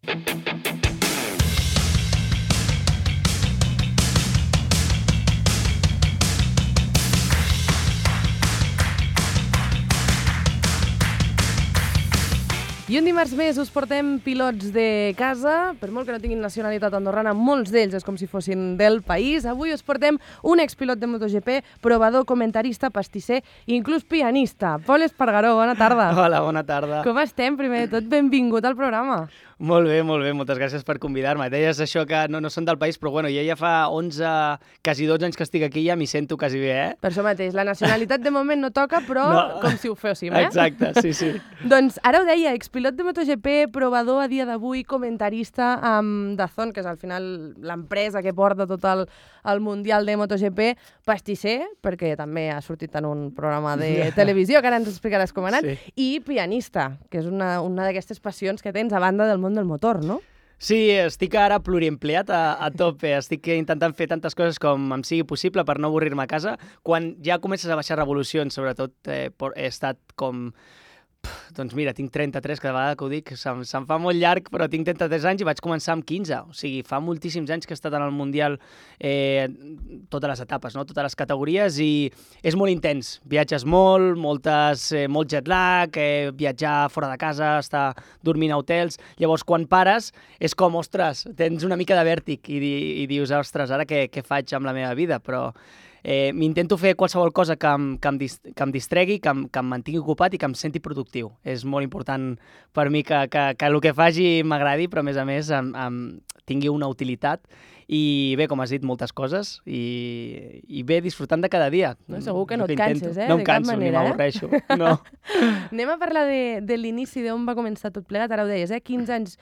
I un dimarts més us portem pilots de casa, per molt que no tinguin nacionalitat andorrana, molts d'ells és com si fossin del país. Avui us portem un expilot de MotoGP, provador, comentarista, pastisser i inclús pianista. Pol Espargaró, bona tarda. Hola, bona tarda. Com estem? Primer de tot, benvingut al programa. Molt bé, moltes gràcies per convidar-me. Deies això que no són del país, però bueno, jo ja fa 11, quasi 12 anys que estic aquí i ja m'hi sento quasi bé, eh? Per això mateix, la nacionalitat de moment no toca, però com si ho féssim, eh? Exacte, sí. Doncs ara ho deia, expilot de MotoGP, provador a dia d'avui, comentarista amb DAZN, que és al final l'empresa que porta tot el Mundial de MotoGP, pastisser, perquè també ha sortit en un programa de televisió, que ara ens explicaràs com ha anat, i pianista, que és una d'aquestes passions que tens a banda del món del motor, no? Sí, estic ara pluriempleat a tope. Estic intentant fer tantes coses com em sigui possible per no avorrir-me a casa. Quan ja comences a baixar revolucions, sobretot he estat com... Doncs mira, tinc 33, cada vegada que ho dic se'm fa molt llarg, però tinc 33 anys i vaig començar amb 15. O sigui, fa moltíssims anys que he estat en el Mundial, totes les etapes, no? Totes les categories, i és molt intens. Viatges molt jet lag, viatjar fora de casa, estar dormint a hotels. Llavors, quan pares, és com, ostres, tens una mica de vèrtic i dius, ostres, ara què faig amb la meva vida? Però... m'intento fer qualsevol cosa que em distregui, que em mantingui ocupat i que em senti productiu. És molt important per mi que el que faci m'agradi, però a més tingui una utilitat. I bé, com has dit, moltes coses i bé, disfrutant de cada dia. No, segur que no et canses, No em canso, ni m'avorreixo. No. Anem a parlar de l'inici, d'on va començar tot plegat. Ara ho deies, 15 anys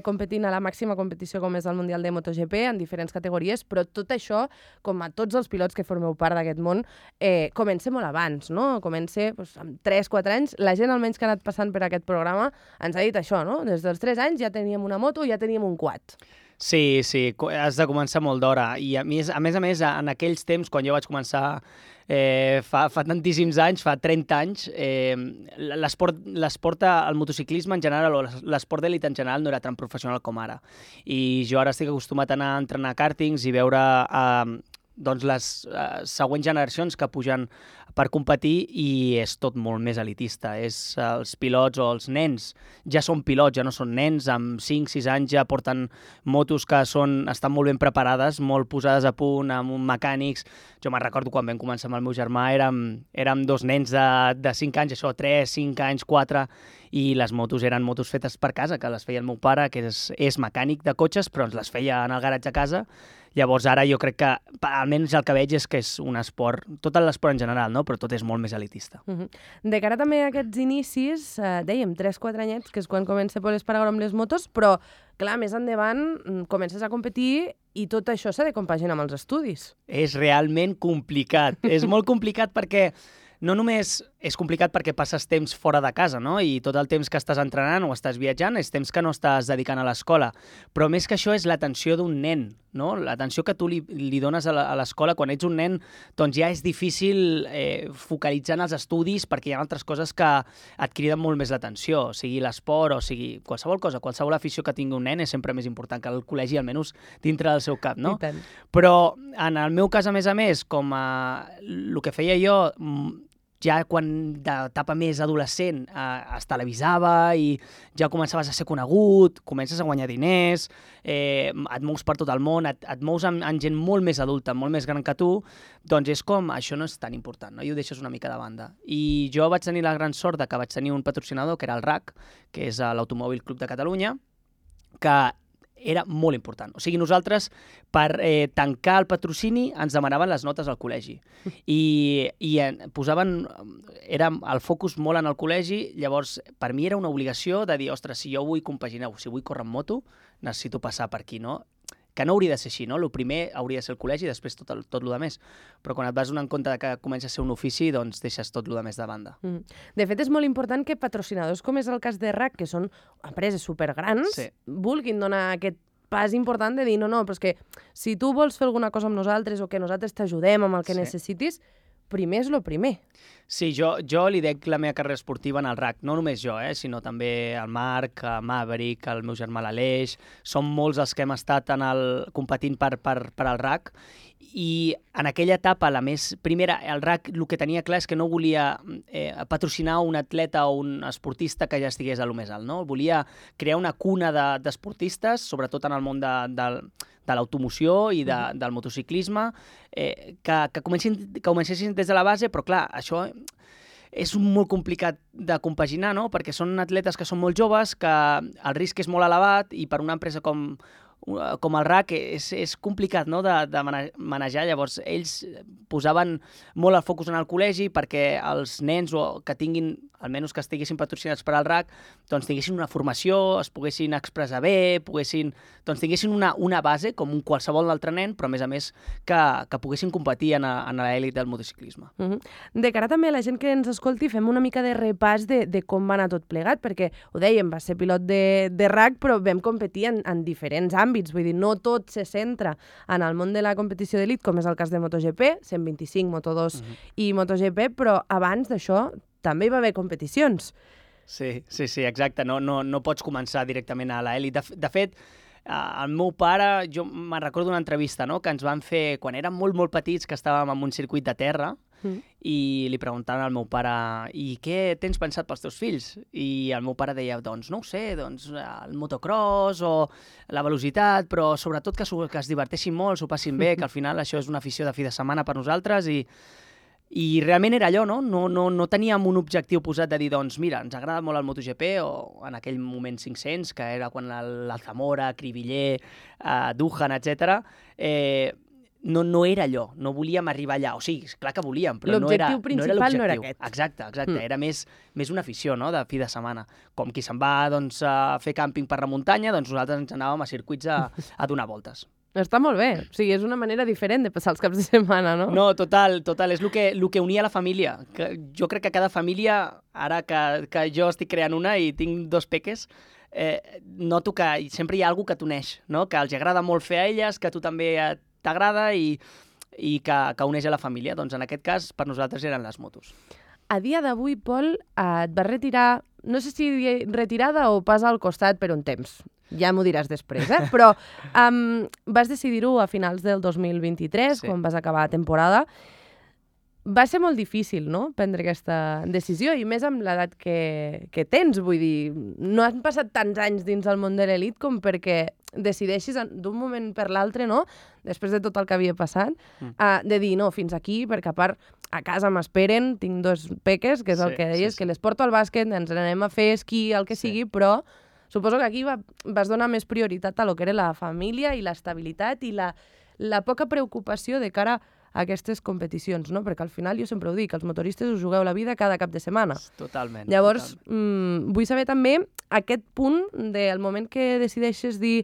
competint a la màxima competició com és el Mundial de MotoGP en diferents categories, però tot això, com a tots els pilots que formeu part d'aquest món, comença molt abans, no? Comença amb 3-4 anys. La gent, almenys que ha anat passant per aquest programa, ens ha dit això, no? Des dels 3 anys ja teníem una moto, ja teníem un quad. Sí, has de començar molt d'hora. I a més, en aquells temps, quan jo vaig començar fa tantíssims anys, fa 30 anys, l'esport, el motociclisme en general, o l'esport d'elit en general, no era tan professional com ara. I jo ara estic acostumat a anar a entrenar kàrtings i veure les següents generacions que pugen per competir, i és tot molt més elitista. Els pilots o els nens ja són pilots, ja no són nens, amb 5-6 anys ja porten motos que estan molt ben preparades, molt posades a punt, amb mecànics. Jo me'n recordo quan vam començar amb el meu germà, érem 2 nens de 5 anys, 3, 5 anys, 4, i les motos eren motos fetes per casa, que les feia el meu pare, que és mecànic de cotxes, però ens les feia en el garatge a casa. Llavors ara jo crec que, almenys el que veig és que és un esport, tot l'esport en general, no? Però tot és molt més elitista. De cara també a aquests inicis, dèiem 3-4 anyets, que és quan comença Pol Espargaró amb les motos, però clar, més endavant comences a competir i tot això s'ha de compaginar amb els estudis. És realment complicat, és molt complicat perquè no només és complicat perquè passes temps fora de casa, no? I tot el temps que estàs entrenant o estàs viatjant és temps que no estàs dedicant a l'escola. Però més que això és l'atenció d'un nen, no? L'atenció que tu li dones a l'escola quan ets un nen, doncs ja és difícil focalitzar en els estudis perquè hi ha altres coses que et criden molt més l'atenció, sigui l'esport o sigui qualsevol cosa, qualsevol afició que tingui un nen és sempre més important que el col·legi, almenys dintre del seu cap, no? Però en el meu cas, a més, com el que feia jo, ja quan d'etapa més adolescent es televisava i ja començaves a ser conegut, comences a guanyar diners, et mous per tot el món, et mous amb gent molt més adulta, molt més gran que tu, doncs és com, això no és tan important, no? I ho deixes una mica de banda. I jo vaig tenir la gran sort que vaig tenir un patrocinador, que era el RAC, que és l'Automòbil Club de Catalunya, que era molt important. O sigui, nosaltres, per tancar el patrocini, ens demanaven les notes al col·legi. I posaven el focus molt en el col·legi, llavors per mi era una obligació de dir, ostres, si jo vull compaginar, si vull córrer amb moto, necessito passar per aquí, no? Que no hauria de ser així, no? El primer hauria de ser el col·legi i després tot el més. Però quan et vas donar en compte que comença a ser un ofici, doncs deixes tot el més de banda. De fet, és molt important que patrocinadors, com és el cas de RAC, que són empreses supergrans, vulguin donar aquest pas important de dir, no, però és que si tu vols fer alguna cosa amb nosaltres o que nosaltres t'ajudem amb el que necessitis, primer és lo primer. Sí, jo li dec la meva carrera esportiva en el RAC, no només jo, sinó també el Marc, el Maverick, el meu germà l'Aleix, som molts els que hem estat competint per al RAC, i en aquella etapa, la més primera, el RAC el que tenia clar és que no volia patrocinar un atleta o un esportista que ja estigués a lo més alt, no? Volia crear una cuna d'esportistes, sobretot en el món de l'automoció i del motociclisme, que comencessin des de la base, però clar, això és molt complicat de compaginar, no? Perquè són atletes que són molt joves, que el risc és molt elevat, i per una empresa com el RAC és complicat, no? de manejar. Llavors, ells posaven molt el focus en el col·legi perquè els nens que tinguin, almenys que estiguessin patrocinats per al RAC, doncs tinguessin una formació, es poguessin expressar bé, tinguessin una base com un qualsevol altre nen, però a més que poguessin competir en l'elit del motociclisme. De cara també a la gent que ens escolti, fem una mica de repàs de com va anar tot plegat, perquè ho dèiem, va ser pilot de RAC, però vam competir en diferents àmbits, vull dir, no tot se centra en el món de la competició d'elit, com és el cas de MotoGP, 125, Moto2 i MotoGP, però abans d'això també hi va haver competicions. Sí, exacte. No pots començar directament a l'elit. De fet, el meu pare, jo me'n recordo d'una entrevista, no?, que ens van fer quan érem molt, molt petits, que estàvem en un circuit de terra, i li preguntaven al meu pare: i què tens pensat pels teus fills? I el meu pare deia: doncs no ho sé, doncs el motocross o la velocitat, però sobretot que es diverteixin molt, s'ho passin bé, que al final això és una afició de fi de setmana per nosaltres, i realment era allò, no? No teníem un objectiu posat de dir, doncs mira, ens agrada molt el MotoGP, o en aquell moment 500, que era quan l'Alzamora, Cribiller, Duhan, etc. No era allò, no volíem arribar allà. O sigui, clar que volíem, però no era l'objectiu. L'objectiu principal no era aquest. Exacte. Era més una afició, no?, de fi de setmana. Com qui se'n va, doncs, a fer càmping per la muntanya, doncs nosaltres ens anàvem a circuits a donar voltes. Està molt bé. O sigui, és una manera diferent de passar els caps de setmana, no? No, total. És el que unia la família. Jo crec que cada família, ara que jo estic creant una i tinc 2 peques, noto que sempre hi ha algú que t'uneix, no? Que els agrada molt fer a elles, que a tu també t'agrada i que uneix a la família. Doncs en aquest cas, per nosaltres eren les motos. A dia d'avui, Pol, et vas retirar, no sé si retirada o pas al costat per un temps. Ja m'ho diràs després, Però vas decidir-ho a finals del 2023, quan vas acabar la temporada. Va ser molt difícil, no?, prendre aquesta decisió, i més amb l'edat que tens. Vull dir, no han passat tants anys dins el món de l'elit com perquè decideixis d'un moment per l'altre, no?, després de tot el que havia passat, de dir, no, fins aquí, perquè a part a casa m'esperen, tinc 2 peques, que és el que deies, que les porto al bàsquet, ens n'anem a fer esquí, el que sigui, però suposo que aquí vas donar més prioritat a lo que era la família i l'estabilitat i la poca preocupació de cara a aquestes competicions, no? Perquè al final, jo sempre ho dic, els motoristes us jugueu la vida cada cap de setmana. Totalment. Llavors, vull saber també aquest punt del moment que decideixes dir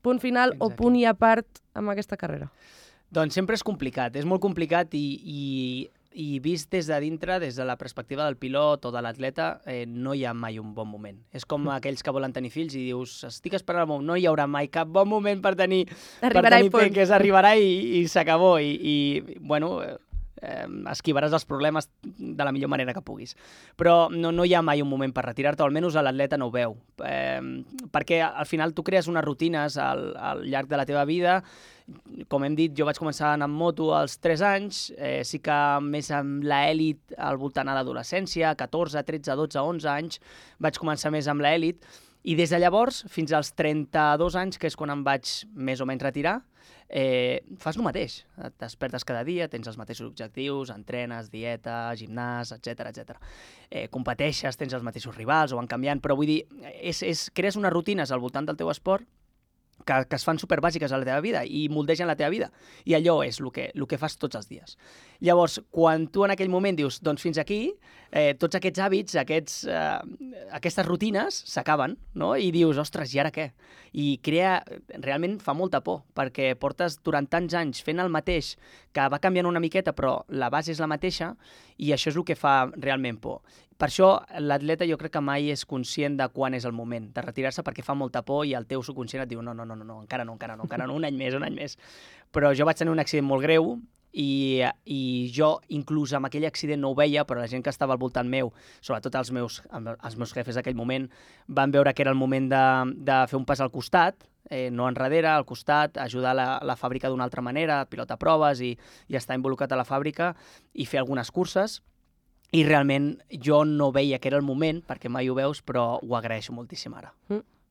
punt final o punt i a part amb aquesta carrera. Doncs sempre és complicat, és molt complicat, i vist des de dintre, des de la perspectiva del pilot o de l'atleta, no hi ha mai un bon moment. És com aquells que volen tenir fills i dius, estic esperant no hi haurà mai cap bon moment per tenir peques, arribarà i s'acabó. I bueno, esquivaràs els problemes de la millor manera que puguis. Però no hi ha mai un moment per retirar-te, o almenys l'atleta no ho veu. Perquè al final tu crees unes rutines al llarg de la teva vida. Com hem dit, jo vaig començar a anar amb moto als 3 anys, sí que més amb l'èlit al voltant a l'adolescència, 14, 13, 12, 11 anys, vaig començar més amb l'èlit, i des de llavors fins als 32 anys, que és quan em vaig més o menys retirar, fas el mateix. Et despertes cada dia, tens els mateixos objectius, entrenes, dieta, gimnàs, etc. Competeixes, tens els mateixos rivals o van canviant, però vull dir, crees unes rutines al voltant del teu esport que es fan superbàsiques a la teva vida i moldegen la teva vida. I allò és el que fas tots els dies. Llavors, quan tu en aquell moment dius, doncs fins aquí, tots aquests hàbits, aquestes rutines s'acaben, no? I dius, ostres, i ara què? I realment fa molta por, perquè portes durant tants anys fent el mateix, que va canviant una miqueta, però la base és la mateixa, i això és el que fa realment por. Per això l'atleta jo crec que mai és conscient de quan és el moment de retirar-se, perquè fa molta por i el teu subconscient et diu no, encara no, un any més. Però jo vaig tenir un accident molt greu i jo inclús amb aquell accident no ho veia, però la gent que estava al voltant meu, sobretot els meus jefes d'aquell moment, van veure que era el moment de fer un pas al costat, no enrere, al costat, ajudar la fàbrica d'una altra manera, pilotar proves i estar involucrat a la fàbrica i fer algunes curses. I realment jo no veia que era el moment, perquè mai ho veus, però ho agraeixo moltíssim ara.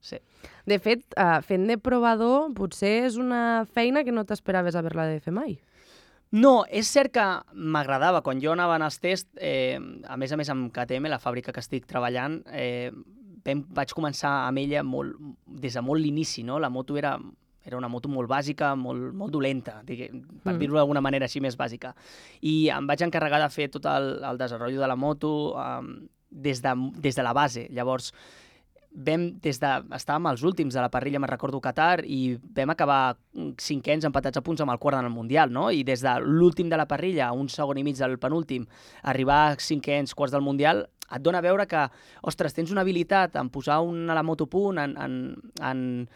Sí. De fet, fent de provador, potser és una feina que no t'esperaves haver-la de fer mai. No, és cert que m'agradava. Quan jo anava als tests, a més amb KTM, la fàbrica que estic treballant, vaig començar amb ella des de molt l'inici, no? La moto era una moto molt bàsica, molt dolenta, per dir-ho d'alguna manera així més bàsica. I em vaig encarregar de fer tot el desenvolupament de la moto des de la base. Llavors, estàvem els últims de la parrilla, me'n recordo, Qatar, i vam acabar 5ens empatats a punts amb el quart en el Mundial, no? I des de l'últim de la parrilla, un segon i mig del penúltim, arribar a 5ens, quarts del Mundial, et dona a veure que, ostres, tens una habilitat en posar la moto a punt, en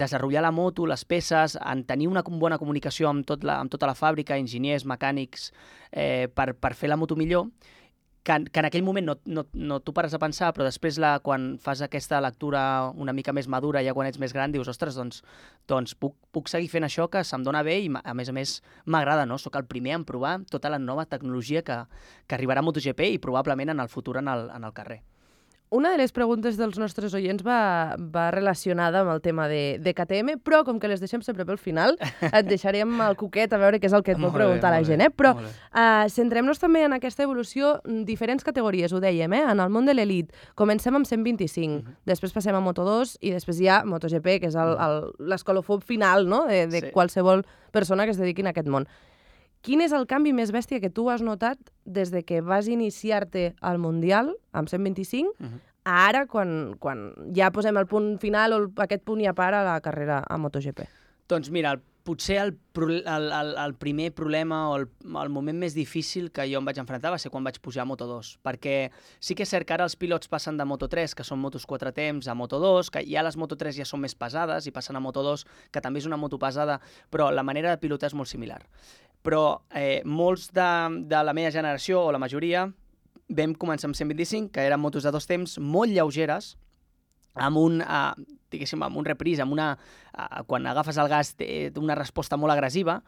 desenvolupar la moto, les peces, en tenir una bona comunicació amb tota la fàbrica, enginyers, mecànics, per fer la moto millor, que en aquell moment no t'ho pares a pensar, però després quan fas aquesta lectura una mica més madura, ja quan ets més gran, dius, ostres, doncs puc seguir fent això que se'm dona bé i a més m'agrada, no? Soc el primer en provar tota la nova tecnologia que arribarà a MotoGP i probablement en el futur en el carrer. Una de les preguntes dels nostres oients va relacionada amb el tema de KTM, però com que les deixem sempre pel final, et deixarem el cuquet a veure què és el que et vol preguntar la gent. Però centrem-nos també en aquesta evolució, diferents categories, ho dèiem, en el món de l'elit. Comencem amb 125, després passem a Moto2 i després hi ha MotoGP, que és l'escolofó final, no?, de qualsevol persona que es dediqui a aquest món. Quin és el canvi més bèstia que tu has notat des de que vas iniciar-te al Mundial, amb 125, a ara, quan ja posem el punt final o aquest punt ja para la carrera a MotoGP? Doncs mira, potser el primer problema o el moment més difícil que jo em vaig enfrontar va ser quan vaig pujar a Moto2, perquè sí que és cert que ara els pilots passen de Moto3, que són motos 4 temps, a Moto2, que ja les Moto3 ja són més pesades i passen a Moto2, que també és una moto pesada, però la manera de pilotar és molt similar. Però molts de la meva generació, o la majoria, vam començar amb 125, que eren motos de 2 temps molt lleugeres, amb un reprise, quan agafes el gas té una resposta molt agressiva,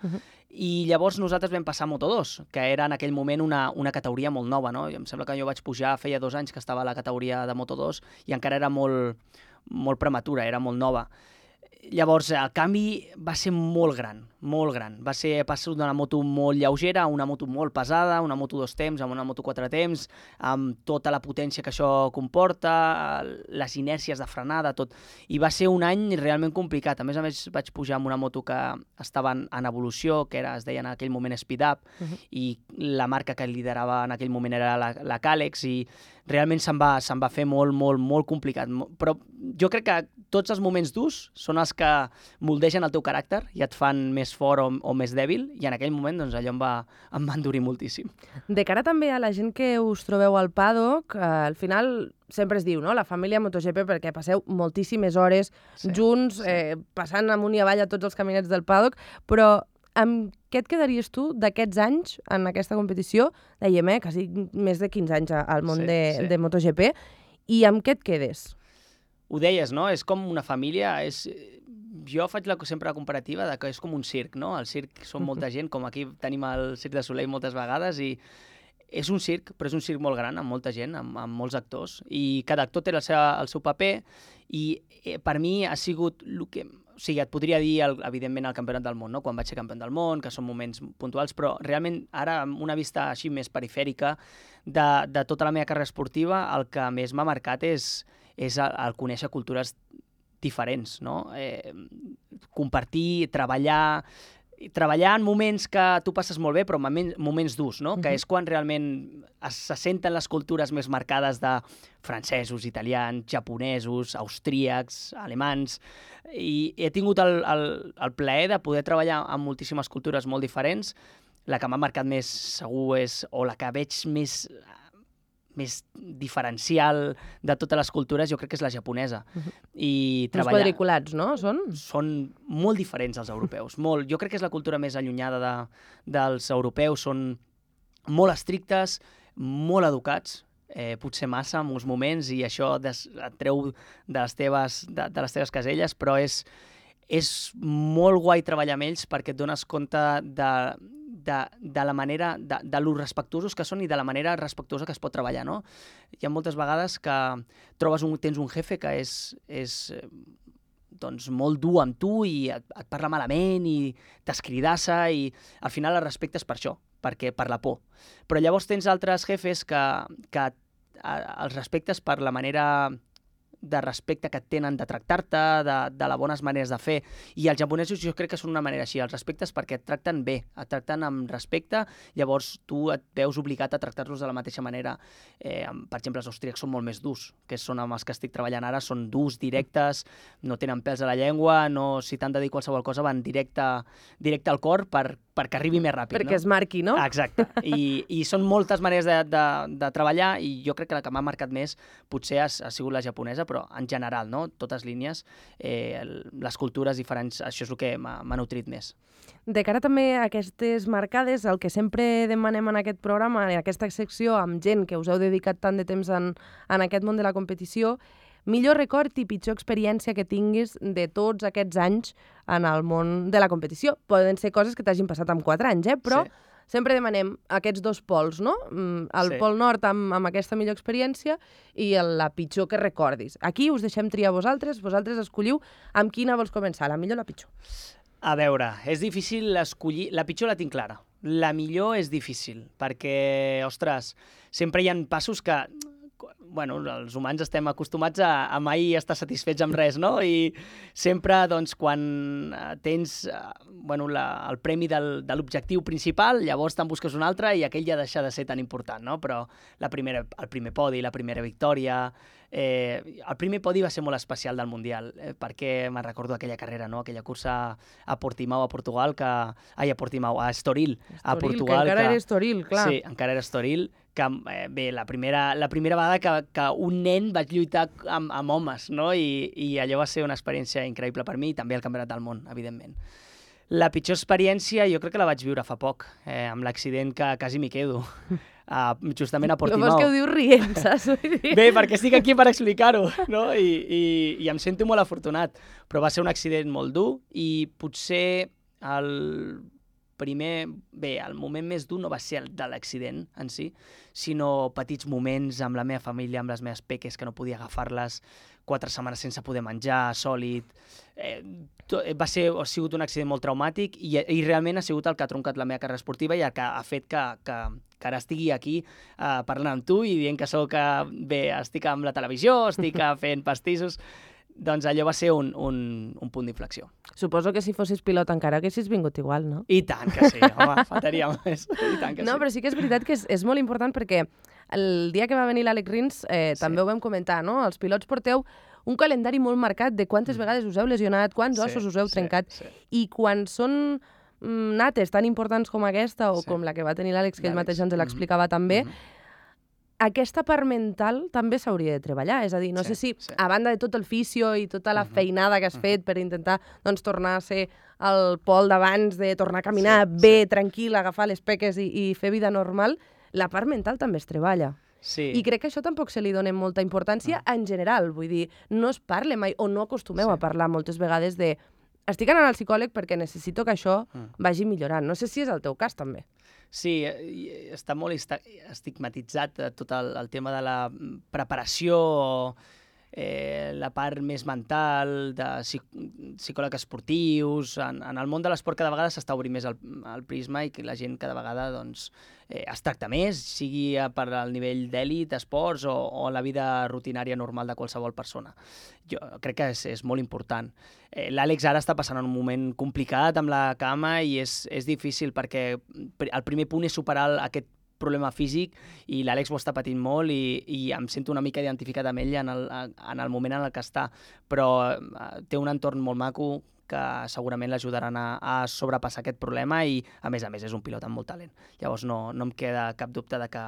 i llavors nosaltres vam passar a Moto2, que era en aquell moment una categoria molt nova, no? Em sembla que jo vaig pujar, feia 2 anys que estava a la categoria de Moto2 i encara era molt prematura, era molt nova. Llavors, el canvi va ser molt gran, molt gran. Va ser passar d'una moto molt lleugera a una moto molt pesada, una moto 2 temps, amb una moto 4 temps, amb tota la potència que això comporta, les inèrcies de frenada, tot. I va ser un any realment complicat. A més, vaig pujar amb una moto que estava en evolució, que es deia en aquell moment Speed Up, i la marca que liderava en aquell moment era la Calex, i realment se'm va fer molt complicat. Però jo crec que tots els moments durs són els que moldegen el teu caràcter i et fan més fort o més dèbil, i en aquell moment doncs, allò em va endurir moltíssim. De cara també a la gent que us trobeu al paddock, al final sempre es diu, no?, la família MotoGP, perquè passeu moltíssimes hores junts, passant amunt i avall a tots els caminets del paddock, però amb què et quedaries tu d'aquests anys en aquesta competició? Dèiem, quasi més de 15 anys al món de MotoGP, i amb què et quedes? Ho deies, no? És com una família, jo faig sempre la comparativa de que és com un circ, no? El circ són molta gent, com aquí tenim el Circ de Soleil moltes vegades, i és un circ, però és un circ molt gran, amb molta gent, amb molts actors, i cada actor té el seu paper, i per mi ha sigut el que... O sigui, et podria dir, evidentment, el campionat del món, no?, quan vaig ser campió del món, que són moments puntuals, però realment ara, amb una vista així més perifèrica de tota la meva carrera esportiva, el que més m'ha marcat és el conèixer cultures diferents, no? Compartir, treballar en moments que tu passes molt bé, però moments durs, no? Que és quan realment se senten les cultures més marcades de francesos, italians, japonesos, austríacs, alemans, i he tingut el plaer de poder treballar amb moltíssimes cultures molt diferents. La que m'ha marcat més segur és, o la que veig més més diferencial de totes les cultures, jo crec que és la japonesa. I Uns quadriculats, no? Són molt diferents als europeus. Molt. Jo crec que és la cultura més allunyada dels europeus. Són molt estrictes, molt educats, potser massa en uns moments, i això et treu de les teves caselles, però és molt guai treballar amb ells perquè et dones compte de la manera, de lo respectuosos que són i de la manera respectuosa que es pot treballar, no? Hi ha moltes vegades que tens un jefe que és doncs, molt dur amb tu i et parla malament i t'escridassa, i al final el respectes per això, per la por. Però llavors tens altres jefes que els respectes per la manera de respecte que et tenen de tractar-te, de les bones maneres de fer. I els japonesos jo crec que són una manera així, els respectes perquè et tracten bé, et tracten amb respecte, llavors tu et veus obligat a tractar-los de la mateixa manera. Per exemple, els austríacs són molt més durs, que són amb els que estic treballant ara, són durs, directes, no tenen pèls a la llengua, si t'han de dir qualsevol cosa van directe al cor perquè arribi més ràpid. Perquè es marqui, no? Exacte. I són moltes maneres de treballar, i jo crec que la que m'ha marcat més potser ha sigut la japonesa, però en general, no? Totes línies, les cultures diferents, això és el que m'ha nutrit més. De cara també a aquestes marcades, el que sempre demanem en aquest programa, en aquesta secció, amb gent que us heu dedicat tant de temps en aquest món de la competició, millor record i pitjor experiència que tinguis de tots aquests anys en el món de la competició. Poden ser coses que t'hagin passat en 4 anys, però sempre demanem aquests dos pols, no? El pol nord amb aquesta millor experiència i la pitjor que recordis. Aquí us deixem triar vosaltres escolliu amb quina vols començar, la millor o la pitjor. A veure, és difícil escollir... La pitjor la tinc clara. La millor és difícil, perquè, ostres, sempre hi ha passos que... Bueno, els humans estem acostumats a mai estar satisfets amb res, no? I sempre, doncs, quan tens el premi de l'objectiu principal, llavors te'n busques un altre i aquell ja deixa de ser tan important, no? Però el primer podi, la primera victòria... el primer podi va ser molt especial del Mundial, perquè me'n recordo aquella carrera, no? Aquella cursa a Portimao, a Portugal, a Estoril, a Portugal. Que encara era Estoril, clar. Sí, encara era Estoril, que la primera vegada que un nen vaig lluitar amb homes, no? I allò va ser una experiència increïble per mi, i també el Campionat del Món, evidentment. La pitjor experiència jo crec que la vaig viure fa poc, amb l'accident que quasi m'hi quedo, justament a Portimao. No vols que ho dius rient, saps? Bé, perquè estic aquí per explicar-ho, no? I em sento molt afortunat, però va ser un accident molt dur, i potser el moment més dur no va ser el de l'accident en si, sinó petits moments amb la meva família, amb les meves peques, que no podia agafar-les, 4 setmanes sense poder menjar, sòlid. Ha sigut un accident molt traumàtic, i realment ha sigut el que ha troncat la meva carrera esportiva i el que ha fet que ara estigui aquí parlant amb tu i dient que estic amb la televisió, estic fent pastissos. Doncs allò va ser un punt d'inflexió. Suposo que si fossis pilot encara haguessis vingut igual, no? I tant que sí, home, faltaria més. I tant que no, sí. Però sí que és veritat que és molt important, perquè el dia que va venir l'Àlex Rins també ho vam comentar, no? Els pilots porteu un calendari molt marcat de quantes vegades us heu lesionat, quants ossos us heu trencat, i quan són nates tan importants com aquesta, o com la que va tenir l'Àlex, que ell mateix ens l'explicava també, aquesta part mental també s'hauria de treballar. És a dir, no sé si, a banda de tot el fisio i tota la feinada que has fet per intentar tornar a ser el Pol d'abans, de tornar a caminar bé, tranquil, agafar les peques i fer vida normal, la part mental també es treballa. Sí. I crec que això tampoc se li dona molta importància en general. Vull dir, no es parla mai, o no acostumeu a parlar moltes vegades de estic anant al psicòleg perquè necessito que això vagi millorant. No sé si és el teu cas, també. Sí, està molt estigmatitzat tot el tema de la preparació, la part més mental, de psicòlegs esportius. En el món de l'esport cada vegada s'està obrint més el prisma, i que la gent cada vegada es tracta més, sigui per al nivell d'èlit, esports, o la vida rutinària normal de qualsevol persona. Jo crec que és molt important. L'Àlex ara està passant un moment complicat amb la cama, i és difícil perquè el primer punt és superar aquest problema físic, i l'Àlex ho està patint molt, i em sento una mica identificat amb ell en el moment en el que està, però té un entorn molt maco que segurament l'ajudaran a sobrepassar aquest problema, i a més és un pilot amb molt talent. Llavors no em queda cap dubte de que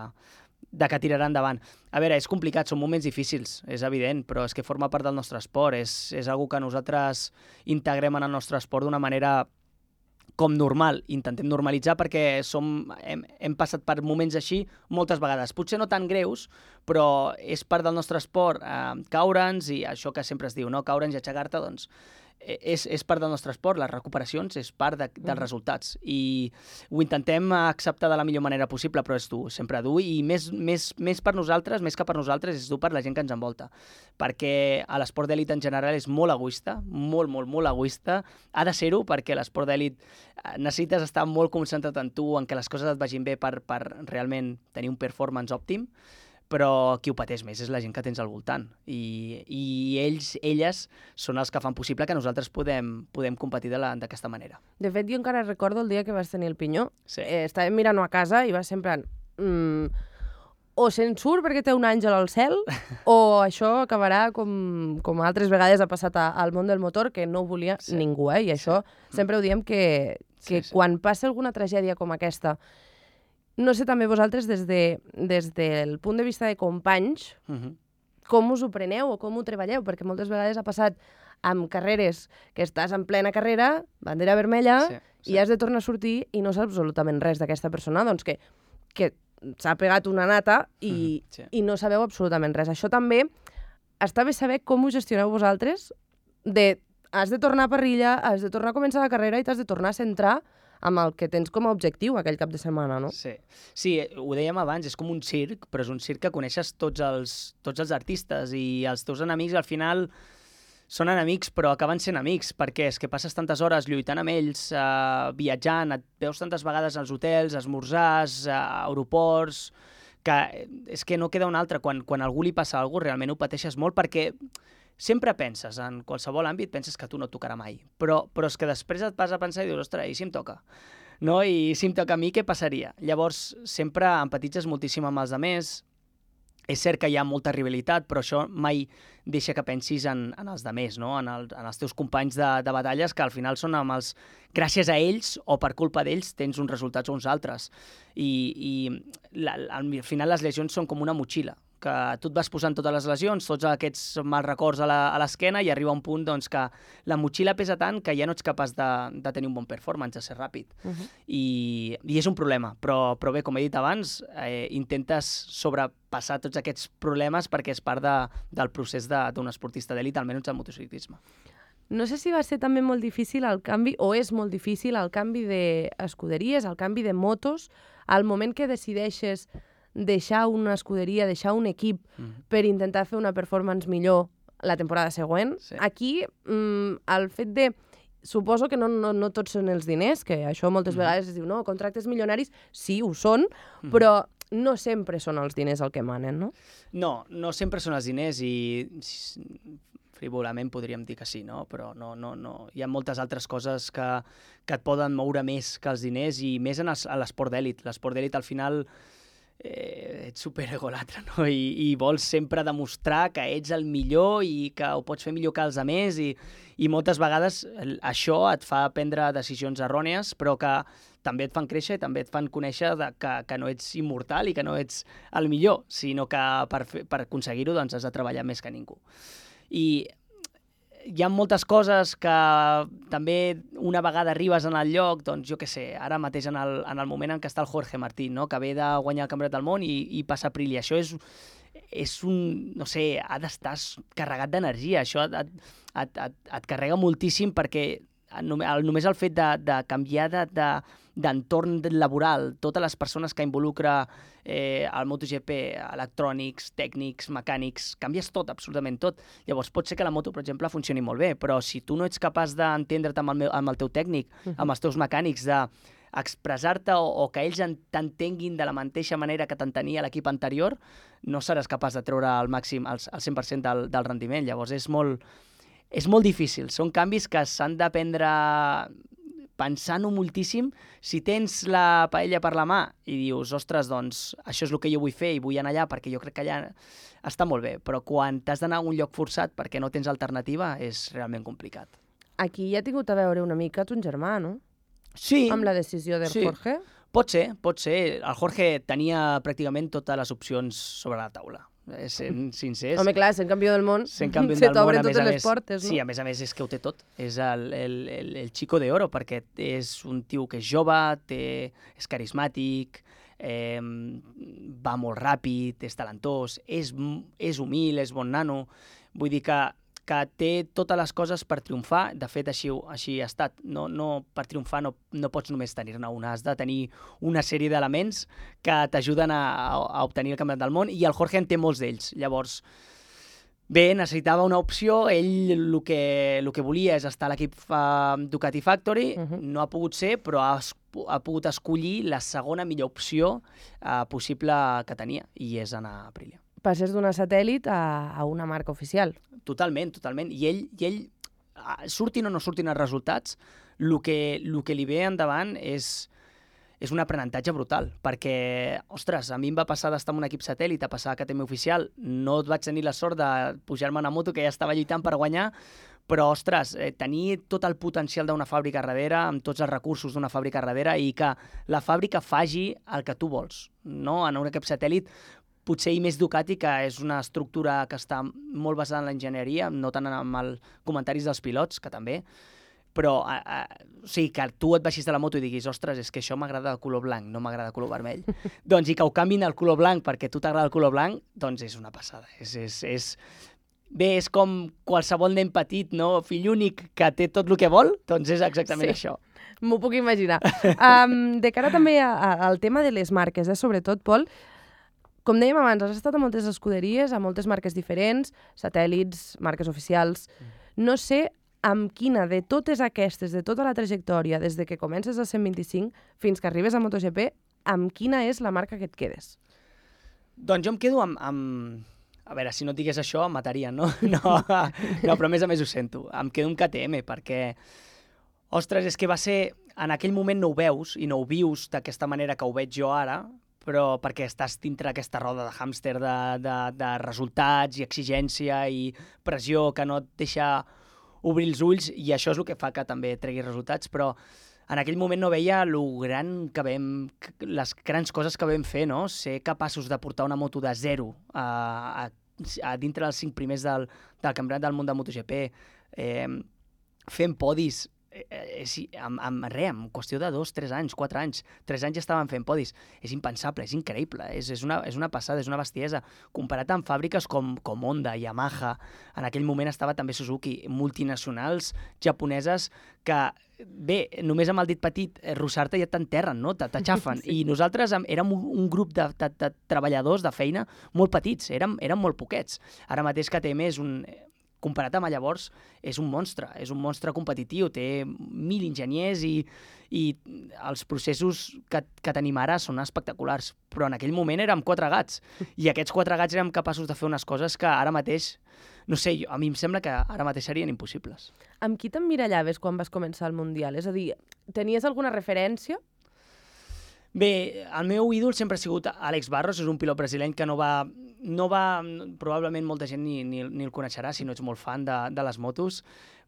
que tirarà endavant. A veure, és complicat, són moments difícils, és evident, però és que forma part del nostre esport, és algo que nosaltres integrem en el nostre esport d'una manera com normal, intentem normalitzar perquè hem passat per moments així moltes vegades, potser no tan greus, però és part del nostre esport caure'ns, i això que sempre es diu, no? Caure'ns i aixecar-te, doncs és part del nostre esport, les recuperacions és part dels resultats, i ho intentem acceptar de la millor manera possible, però és dur, sempre dur, i més per nosaltres, més que per nosaltres, és dur per la gent que ens envolta, perquè l'esport d'elit en general és molt egoista, molt egoista, ha de ser-ho, perquè l'esport d'elit necessites estar molt concentrat en tu, en que les coses et vagin bé per realment tenir un performance òptim, però qui ho pateix més és la gent que tens al voltant, i elles són els que fan possible que nosaltres podem competir d'aquesta manera. De fet, jo encara recordo el dia que vas tenir el pinyó. Sí. Estàvem mirant-ho a casa i vas sempre o se'n surt perquè té un àngel al cel, o això acabarà com altres vegades ha passat al món del motor, que no ho volia ningú, i això sempre ho diem que quan passa alguna tragèdia com aquesta, no sé també vosaltres, des del punt de vista de companys, com us ho preneu o com ho treballeu, perquè moltes vegades ha passat amb carreres que estàs en plena carrera, bandera vermella, i has de tornar a sortir i no saps absolutament res d'aquesta persona, doncs que s'ha pegat una nata i no sabeu absolutament res. Això també està bé saber com ho gestioneu vosaltres, has de tornar a parrilla, has de tornar a començar la carrera i t'has de tornar a centrar amb el que tens com a objectiu aquell cap de setmana, no? Sí, ho dèiem abans, és com un circ, però és un circ que coneixes tots els artistes, i els teus enemics al final són enemics, però acaben sent amics, perquè és que passes tantes hores lluitant amb ells, viatjant, et veus tantes vegades als hotels, esmorzars, a aeroports, que és que no queda un altre. Quan a algú li passa alguna cosa, realment ho pateixes molt, perquè sempre penses, en qualsevol àmbit, penses que a tu no et tocarà mai, però és que després et vas a pensar i dius, ostres, i si em toca? No? I si em toca a mi, què passaria? Llavors, sempre empatitzes moltíssim amb els altres. És cert que hi ha molta rivalitat, però això mai deixa que pensis en els altres, no? En els teus companys de batalles, que al final són gràcies a ells o per culpa d'ells tens uns resultats o uns altres. I al final les lesions són com una motxilla, que tu et vas posant totes les lesions, tots aquests mals records a l'esquena, i arriba un punt doncs, que la motxilla pesa tant que ja no ets capaç de tenir un bon performance, de ser ràpid. I és un problema, però bé, com he dit abans, intentes sobrepassar tots aquests problemes perquè és part del procés d'un esportista d'elit, almenys al motociclisme. No sé si va ser també molt difícil el canvi, o és molt difícil el canvi d'escuderies, el canvi de motos, al moment que decideixes deixar una escuderia, deixar un equip per intentar fer una performance millor la temporada següent. Aquí, el fet de... Suposo que no tots són els diners, que això moltes vegades es diu, no, contractes milionaris, sí, ho són, però no sempre són els diners el que manen, no? No sempre són els diners, i frívolament podríem dir que sí, no? Però no. Hi ha moltes altres coses que et poden moure més que els diners, i més a l'esport d'elit. L'esport d'elit, al final, ets superegolatre, no? I vols sempre demostrar que ets el millor i que ho pots fer millor que els altres, i moltes vegades això et fa prendre decisions errònies, però que també et fan créixer i també et fan conèixer que no ets immortal i que no ets el millor, sinó que per aconseguir-ho doncs, has de treballar més que ningú. I hi ha moltes coses que també una vegada arribes en el lloc, doncs jo què sé, ara mateix en el moment en què està el Jorge Martín, no? Que ve de guanyar el Campionat del Món i passa a Aprilia. Això és un, no sé, ha d'estar carregat d'energia, això et carrega moltíssim, perquè només el fet de canviar d'entorn laboral, totes les persones que involucra el MotoGP, electrònics, tècnics, mecànics, canvies tot, absolutament tot. Llavors pot ser que la moto, per exemple, funcioni molt bé, però si tu no ets capaç d'entendre't amb el teu tècnic, amb els teus mecànics, d'expressar-te o que ells t'entenguin de la mateixa manera que t'entenia l'equip anterior, no seràs capaç de treure al màxim, al 100% del rendiment. Llavors és molt difícil. Són canvis que s'han de prendre pensant-ho moltíssim. Si tens la paella per la mà i dius, ostres, doncs això és el que jo vull fer i vull anar allà perquè jo crec que allà està molt bé, però quan t'has d'anar a un lloc forçat perquè no tens alternativa és realment complicat. Aquí ja ha tingut a veure una mica ton germà, no? Sí. Amb la decisió de Jorge. Pot ser. El Jorge tenia pràcticament totes les opcions sobre la taula. Sent sincers. Home, clar, sent campió del món, Sent campió se del món, t'obren a més totes a les més. portes, no? Sí, a més és que ho té tot. És el Chico de Oro, perquè és un tio que és jove, és carismàtic, va molt ràpid, és talentós, és humil, és bon nano. Vull dir que té totes les coses per triomfar. De fet, així ha estat. Per triomfar no pots només tenir-ne una, has de tenir una sèrie d'elements que t'ajuden a obtenir el campionat del món, i el Jorge en té molts d'ells. Llavors, bé, necessitava una opció, ell el que volia és estar a l'equip Ducati Factory, no ha pogut ser, però ha pogut escollir la segona millor opció possible que tenia, i és anar a Aprilia. Passes d'una satèl·lit a una marca oficial. Totalment. I ell, surtin o no surtin els resultats, el que li ve endavant és un aprenentatge brutal, perquè, ostres, a mi em va passar d'estar en un equip satèl·lit a passar a KTM oficial, no vaig tenir la sort de pujar-me a una moto que ja estava lluitant per guanyar, però, ostres, tenir tot el potencial d'una fàbrica darrere, amb tots els recursos d'una fàbrica darrere, i que la fàbrica faci el que tu vols, no? En un equip satèl·lit, potser i més Ducati, que és una estructura que està molt basada en l'enginyeria, no tant en els comentaris dels pilots, que també, però o sigui, que tu et baixis de la moto i diguis, ostres, és que això m'agrada de color blanc, no m'agrada de color vermell. Doncs, i que ho canviïn al color blanc perquè a tu t'agrada el color blanc, doncs és una passada. Bé, és com qualsevol nen petit, no? Fill únic que té tot el que vol, doncs és exactament això. M'ho puc imaginar. De cara també al tema de les marques, sobretot, Pol, com dèiem abans, has estat a moltes escuderies, a moltes marques diferents, satèl·lits, marques oficials. No sé amb quina de totes aquestes, de tota la trajectòria, des de que comences a 125 fins que arribes a MotoGP, amb quina és la marca que et quedes? Doncs jo em quedo amb... A veure, si no et digués això, em matarien, no? No, però a més ho sento. Em quedo amb KTM, perquè, ostres, és que va ser... En aquell moment no ho veus i no ho vius d'aquesta manera que ho veig jo ara, però perquè estàs dintre d'aquesta roda de hàmster de resultats i exigència i pressió que no et deixa obrir els ulls, i això és el que fa que també tregui resultats, però en aquell moment no veia les grans coses que vam fer, no? Ser capaços de portar una moto de zero a dintre dels 5 primers del Campionat del Món de MotoGP, fent podis, en qüestió de 2, 3 anys, 4 anys, 3 anys ja estaven fent podis. És impensable, és increïble, és una passada, és una bestiesa. Comparat amb fàbriques com Honda, Yamaha, en aquell moment estava també Suzuki, multinacionals japoneses que, bé, només amb el dit petit, rossar-te ja t'enterren, no? T'aixafen. Sí. I nosaltres érem un grup de treballadors de feina molt petits, érem molt poquets. Ara mateix KTM comparat amb llavors, és un monstre competitiu, té 1.000 enginyers i els processos que tenim ara són espectaculars, però en aquell moment érem 4 gats, i aquests 4 gats érem capaços de fer unes coses que ara mateix, no sé, a mi em sembla que ara mateix serien impossibles. Amb qui t'emmirallaves quan vas començar el Mundial? És a dir, tenies alguna referència? Bé, el meu ídol sempre ha sigut Àlex Barros, és un pilot brasileny que no va probablement molta gent ni el coneixerà si no ets molt fan de les motos,